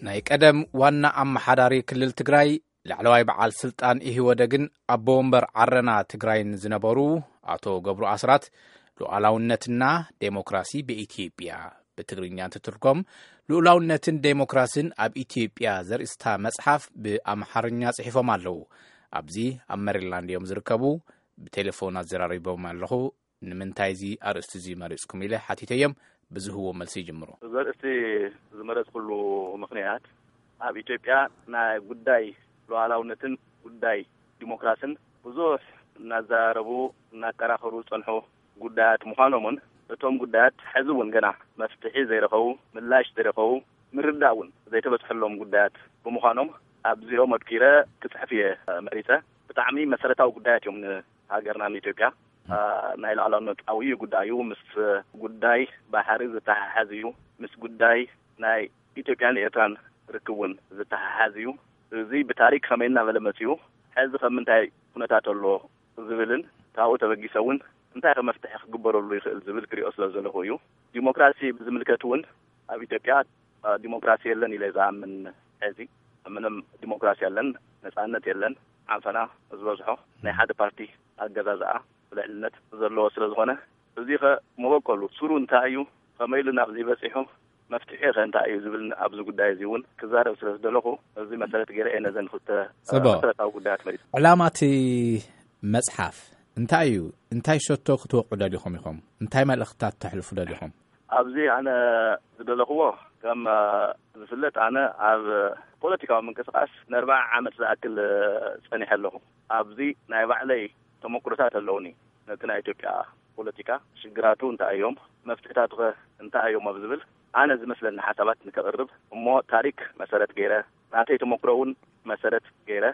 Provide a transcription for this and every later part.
ናይ ቀደም ዋና ኣመሓዳሪ ክልል ትግራይ፣ ላዕለዋይ በዓል ስልጣን ኢህወደግን ኣቦ ወንበር ዓረና ትግራይን ዝነበሩ ኣቶ ገብሩ ኣስራት፣ ሉዓላውነትና ዴሞክራሲ ብኢትዮጵያ፣ ብትግርኛ እንትትርጎም፣ ልኡላውነትን ዴሞክራሲን ኣብ ኢትዮጵያ ዘርእስታ መጽሓፍ ብኣምሓርኛ ጽሒፎም ኣለዉ። ኣብዚ ኣብ ሜሪላንድ እዮም ዝርከቡ። ብቴሌፎን ኣዘራሪቦም ኣለኹ። ንምንታይ እዚ ኣርእስቲ እዚ መሪጽኩም ኢለ ሓቲተዮም። ብዝህዎ መልሲ ይጅምሩ። እዚ ኣርእስቲ ዝመረጽኩሉ ምኽንያት፣ ኣብ ኢትዮጵያ ናይ ጉዳይ ሉዓላውነትን ጉዳይ ዲሞክራሲን ብዙሕ እናዘራረቡ እናከራኸሩ ዝጸንሑ ጉዳያት ምዃኖምን፣ እቶም ጉዳያት ሕዚ እውን ገና መፍትሒ ዘይረኸቡ፣ ምላሽ ዘይረኸቡ፣ ምርዳእ እውን ዘይተበጽሐሎም ጉዳያት ብምዃኖም፣ ኣብዚኦም ኣድኪረ ክጽሕፍ እየ መሪጸ። ብጣዕሚ መሰረታዊ ጉዳያት እዮም ንሃገርና ንኢትዮጵያ። አ፣ ናይ ሉዓላውነት ዓብዪ ጉዳይ እዩ። ምስ ጉዳይ ባሕሪ ዝተሓሓዝ እዩ። ምስ ጉዳይ ናይ ኢትዮጵያን ኤርትራን ርክብ እውን ዝተሓሓዝ እዩ። እዚ ብታሪክ ከመይ እናበለ መፂኡ፣ ሕዚ ከም ምንታይ ኩነታት ኣሎ ዝብልን ካብኡ ተበጊሰ እውን እንታይ ከ መፍትሒ ክግበረሉ ይኽእል ዝብል ክሪኦ ስለ ዘለኹ እዩ። ዲሞክራሲ ብዝምልከት እውን ኣብ ኢትዮጵያ፣ አ፣ ዲሞክራሲ የለን ኢለ ዝኣምን። ሕዚ ምንም ዲሞክራሲ የለን፣ ነፃነት የለን። ዓንፈና ዝበዝሖ ናይ ሓደ ፓርቲ ኣገዛዝኣ ልዕልነት ዘለዎ ስለ ዝኾነ፣ እዚ ኸ መበቆሉ ስሩ እንታይ እዩ? ከመይ ኢሉ ናብዚ በፂሑ? መፍትሒ ኸ እንታይ እዩ ዝብል ኣብዚ ጉዳይ እዚ እውን ክዛረብ ስለ ዝደለኹ፣ እዚ መሰረት ገይረ እየ ነዘን ክልተ፣ እ፣ ጽቡቕ። መሰረታዊ ጉዳያት መሪጸ። ዕላማ እቲ መጽሓፍ እንታይ እዩ? እንታይ ሸቶ ክትወቕዑ ደሊኹም ኢኹም? እንታይ መልእኽትታት ተሕልፉ ደሊኹም? ኣብዚ ኣነ ዝደለኽዎ፣ ከም፣ እ፣ ዝፍለጥ፣ ኣነ ኣብ ፖለቲካዊ ምንቅስቃስ ንኣርብዓ ዓመት ዝኣክል፣ እ፣ ጸኒሐ ኣለኹ። ኣብዚ ናይ ባዕለይ ተመኩሮታት ኣለውኒ። ነቲ ናይ ኢትዮጵያ ፖለቲካ ሽግራቱ እንታይ እዮም፣ መፍትሕታቱ ኸ እንታይ እዮም ኣብ ዝብል፣ ኣነ ዝመስለኒ ሓሳባት ንከቕርብ፣ እሞ ታሪክ መሰረት ገይረ፣ ናተይ ተመኩሮ እውን መሰረት ገይረ፣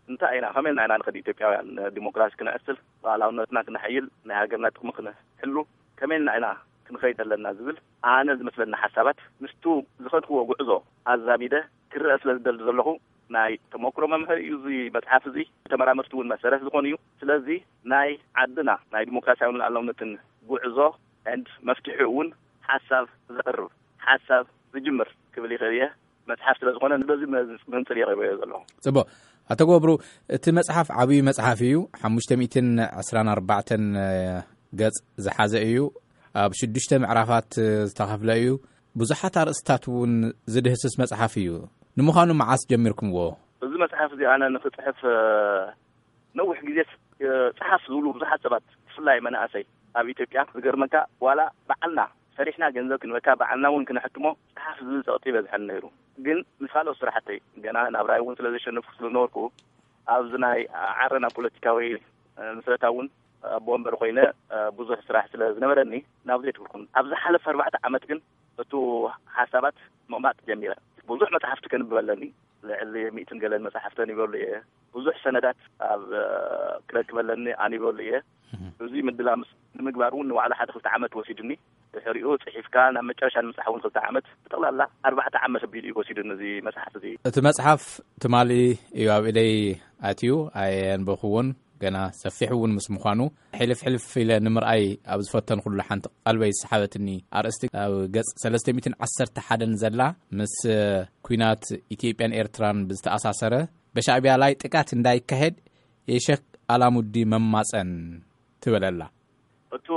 እንታይ ኢና፣ ከመይ ኢልና ኢና ንኸድ ኢትዮጵያውያን ዲሞክራሲ ክነዕስል፣ ሉዓላውነትና ክነሐይል፣ ናይ ሃገርና ጥቕሚ ክነሕሉ፣ ከመይ ኢልና ኢና ክንኸይድ ኣለና ዝብል፣ ኣነ ዝመስለኒ ሓሳባት ምስቱ ዝኸድክዎ ጉዕዞ ኣዛሚደ ክረአ ስለ ዝደሊ ዘለኹ፣ ናይ ተመኩሮ መምሃሪ እዩ እዚ መጽሓፍ እዚ። ተመራመርቲ እውን መሰረት ዝኾኑ እዩ። ስለዚ ናይ ዓድና ናይ ዲሞክራሲያውን ሉዓላውነትን ጉዕዞ and መፍትሒ እውን ሓሳብ ዘቕርብ፣ ሓሳብ ዝጅምር ክብል ይኽእል እየ። መጽሓፍ ስለ ዝኾነ በዚ መዝ-፣ መንጽር እየ ቀሪበዮ ዘለኹ። ጽቡቕ። ኣቶ ገብሩ፣ እቲ መጽሓፍ ዓብዪ መጽሓፍ እዩ። ሓሙሽተ ሚእትን ዕስራን ኣርባዕተን ገጽ ዝሓዘ እዩ። ኣብ ሽዱሽተ ምዕራፋት ዝተኸፍለ እዩ። ብዙሓት ኣርእስታት እውን ዝድህስስ መጽሓፍ እዩ። ንምዃኑ መዓስ ጀሚርኩምዎ? እዚ መጽሓፍ እዚ ኣነ ንኽጽሕፍ፣ እ፣ ነዊሕ ግዜ፣ እ፣ ጽሓፍ ዝብሉ ብዙሓት ሰባት፣ ብፍላይ መናእሰይ ኣብ ኢትዮጵያ፣ ዝገርመካ፣ ዋላ በዓልና ሰሪሕና ገንዘብ ክንበካ፣ በዓልና እውን ክነሕትሞ፣ ጽሓፍ ዝብል ጸቕጢ ይበዝሐኒ ነይሩ። ግን ምስ ካልኦት ስራሕተይ፣ ገና ናብራይ እውን ስለ ዘሸነፍኩ ስለ ዝነበርኩ፣ ኣብዚ ናይ ዓረና ፖለቲካዊ፣ እ፣ ምስረታ እውን ኣቦ ወንበር ኮይነ፣ እ፣ ብዙሕ ስራሕ ስለ ዝነበረኒ፣ ናብ ዘይትብርኩን። ኣብ ዝሓለፈ ኣርባዕተ ዓመት ግን እቱ ሓሳባት ምቕማጥ ጀሚረ። ብዙሕ መጽሓፍቲ ከንብብ ኣለኒ። ልዕሊ ሚእትን ገለን መጽሓፍቲ ኣንቢበሉ እየ። ብዙሕ ሰነዳት ኣብ፣ እ፣ ክረክብ ኣለኒ ኣንቢበሉ እየ። እህ። እዚ ምድላ ምስ ንምግባር እውን ንባዕሉ ሓደ ክልተ ዓመት ወሲዱኒ። ድሕሪኡ ጽሒፍካ ናብ መጨረሻ ንምብጻሕ እውን ክልተ ዓመት፣ ብጠቕላላ ኣርባዕተ ዓመት ኣቢሉ እዩ ወሲዱኒ እዚ መጽሓፍ እዚ። እቲ መጽሓፍ ትማሊ እዩ ኣብ ኢደይ ኣትዩ፣ ኣየንበብኩዎን፣ ገና ሰፊሕ እውን ምስ ምዃኑ፣ ሕልፍ ሕልፍ ኢለ ንምርኣይ ኣብ ዝፈተንኩሉ ሓንቲ ቀልበይ ዝሰሓበትኒ ኣርእስቲ፣ ኣብ ገጽ ሰለስተ ሚእትን ዓሰርተ ሓደን ዘላ፣ ምስ ኲናት ኢትዮጵያን ኤርትራን ብዝተኣሳሰረ፣ በሻዕቢያ ላይ ጥቃት እንዳይካሄድ የሸክ ኣላሙዲ መማጸን ትብል ኣላ። እቱ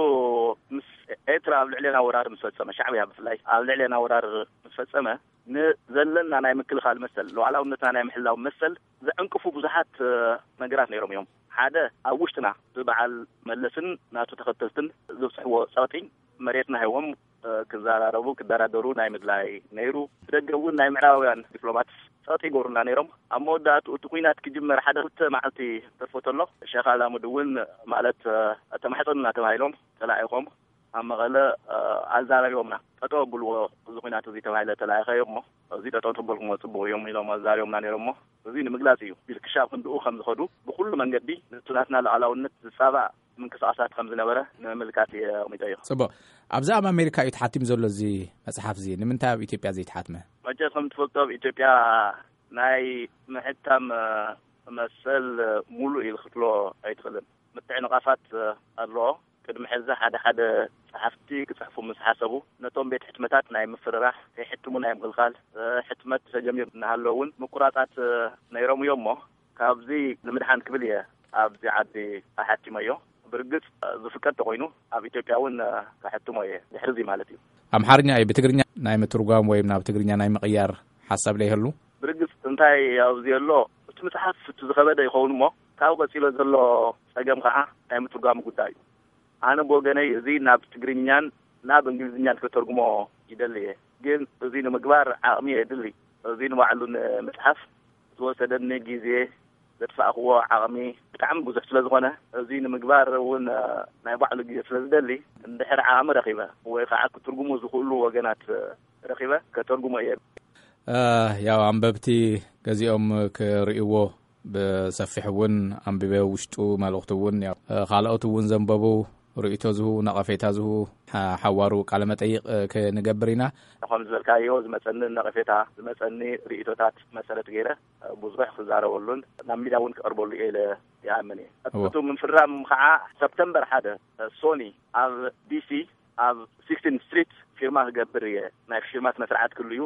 ምስ ኤርትራ ኣብ ልዕሌና ወራር ምስ ፈጸመ፣ ሻዕብያ ብፍላይ ኣብ ልዕሌና ወራር ምስ ፈጸመ፣ ንዘለና ናይ ምክልኻል መሰል፣ ሉዓላውነትና ናይ ምሕላው መሰል ዘዕንቅፉ ብዙሓት፣ እ፣ ነገራት ነይሮም እዮም። ሓደ፣ ኣብ ውሽጥና ብበዓል መለስን ናቱ ተኸተልትን ዘብጽሕዎ ጸቕጢ፣ መሬትና ሂቦም፣ እ፣ ክዘራረቡ፣ ክደራደሩ ናይ ምድላይ ነይሩ። ብደገ እውን ናይ ምዕራባውያን ዲፕሎማት ጸቕጢ ይገብሩና ነይሮም። ኣብ መወዳእትኡ እቲ ኲናት ክጅመር ሓደ ክልተ መዓልቲ ተርፎ ተሎ፣ ሸኽ ኣላሙዲ እውን፣ ማለት፣ እ፣ ተማሕጸኑና ተባሂሎም ተላኢኾም ኣብ መቐለ፣ እ፣ ኣዛራሪቦምና። ጠጠው ኣብልዎ እዚ ኲናት እዚ ተባሂለ ተላኢኸ እሞ፣ እዚ ጠጠው ተበልኩሞ ጽቡቕ እዮም ኢሎም ኣዛሪቦምና ነይሮም እሞ፣ እዚ ንምግላጽ እዩ። ክሻብ ክንድኡ ከም ዝኸዱ፣ ብኹሉ መንገዲ ንቱ ናትና ሉዓላውነት ዝጻባእ ምንቅስቃሳት ከም ዝነበረ ንምምልካት እየ ኣቕሚጠዮ። ጽቡቕ። ኣብዚ ኣብ ኣሜሪካ እዩ ተሓቲሙ ዘሎ እዚ መጽሓፍ እዚ። ንምንታይ ኣብ ኢትዮጵያ ዘይተሓትመ? መቸስ ከም ትፈልጦ ኣብ ኢትዮጵያ ናይ ምሕታም፣ እ፣ መሰል፣ እ፣ ሙሉእ ኢሉ ክትብሎ ኣይትኽእልን። ምትዕንቓፋት፣ እ፣ ኣለዎ። ቅድሚ ሕዚ ሓደ ሓደ ጸሓፍቲ ክጽሕፉ ምስ ሓሰቡ፣ ነቶም ቤት ሕትመታት ናይ ምፍርራሕ፣ ከይሕትሙ ናይ ምኽልኻል፣ እ፣ ሕትመት ተጀሚሩ እናሃለወ እውን ምቁራጻት፣ እ፣ ነይሮም እዮም እሞ፣ ካብዚ ንምድሓን ክብል እየ ኣብዚ ዓዲ ኣሓቲመዮ። ብርግጽ፣ እ፣ ዝፍቀድ ተኾይኑ ኣብ ኢትዮጵያ እውን፣ እ፣ ከሕትሞ እየ፣ ድሕሪ እዚ ማለት እዩ። ኣምሓርኛ እዩ፣ ብትግርኛ ናይ ምትርጓም ወይም ናብ ትግርኛ ናይ ምቕያር ሓሳብ ለይህሉ? ብርግጽ እንታይ ኣብዚ ኣሎ፣ እቲ መጽሓፍ እቲ ዝኸበደ ይኸውን እሞ፣ ካብኡ ቀጺሎ ዘሎ ጸገም ከዓ ናይ ምትርጓም ጉዳይ እዩ። ኣነ ብወገነይ እዚ ናብ ትግርኛን ናብ እንግሊዝኛን ከተርጉሞ ይደሊ እየ። ግን እዚ ንምግባር ዓቕሚ የድሊ። እዚ ንባዕሉ ንምጽሓፍ ዝወሰደኒ ግዜ፣ ዘጥፋእክዎ ዓቕሚ ብጣዕሚ ብዙሕ ስለ ዝኾነ፣ እዚ ንምግባር እውን፣ እ፣ ናይ ባዕሉ ግዜ ስለ ዝደሊ፣ እንድሕር ዓቕሚ ረኺበ ወይ ከዓ ክትርጉሙ ዝኽእሉ ወገናት፣ እ፣ ረኺበ ከተርጉሞ እየ። እ፣ ያው ኣንበብቲ ገዚኦም ክርእይዎ ብሰፊሕ እውን ኣንቢበ፣ ውሽጡ መልእኽቱ እውን ያው፣ እ፣ ካልኦት እውን ዘንበቡ ርእይቶ ዝህቡ፣ ነቐፌታ ዝህቡ ሓ-፣ ሓዋሩ ቃለ መጠይቕ፣ እ፣ ክንገብር ኢና። ከም ዝበልካዮ ዝመጸኒ ነቐፌታ፣ ዝመጸኒ ርእይቶታት መሰረት ገይረ፣ እ፣ ብዙሕ ክዛረበሉን ናብ ሚድያ እውን ክቐርበሉ እየ ኢለ ይኣምን እየ። እወ። እቱ ምፍራም ከዓ ሰፕተምበር ሓደ፣ እ፣ ሶኒ ኣብ ዲ ሲ ኣብ ሲክስቲን ስትሪት ፊርማ ክገብር እየ። ናይ ፊርማ ስነ ስርዓት ክህሉ እዩ።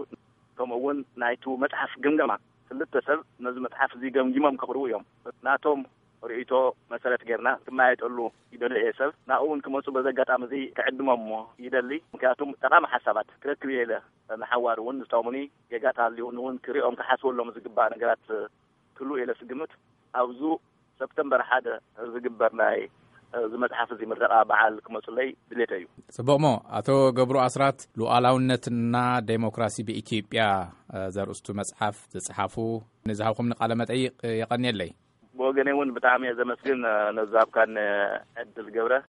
ከምኡ እውን ናይቱ መጽሓፍ ግምገማ፣ ክልተ ሰብ ነዚ መጽሓፍ እዚ ገምጊሞም ከቕርቡ እዮም። ናቶም ርእይቶ መሰረት ጌርና ክመያየጠሉ ይደሊ እየ። ሰብ ናብኡ እውን ክመፁ በዚ ኣጋጣሚ እዚ ክዕድሞም ይደሊ። ምክንያቱም ጠቓሚ ሓሳባት ክረክብ እየ ኢለ፣ ንሓዋሩ እውን ዝጠቕሙኒ ጌጋታት ሃልዩኒ እውን ክሪኦም ክሓስበሎም ዝግባእ ነገራት ክህሉ እየ ኢለ ስግምት፣ ኣብዙ ሰፕተምበር ሓደ ዝግበር ናይ እዚ መጽሓፍ እዚ ምረቓ በዓል ክመፁለይ ድሌተ እዩ። ጽቡቕሞ፣ ኣቶ ገብሩ ኣስራት፣ ሉዓላውነትና ዴሞክራሲ ብኢትዮጵያ፣ እ፣ ዘርእስቱ መጽሓፍ ዝጸሓፉ፣ ንዝሃብኩምኒ ቃለ መጠይቕ፣ እ፣ የቐንየለይ። ብወገነይ እውን ብጣዕሚ እየ ዘመስግን፣ እ፣ ነዚ ዝሃብካኒ ዕድል ገብረ።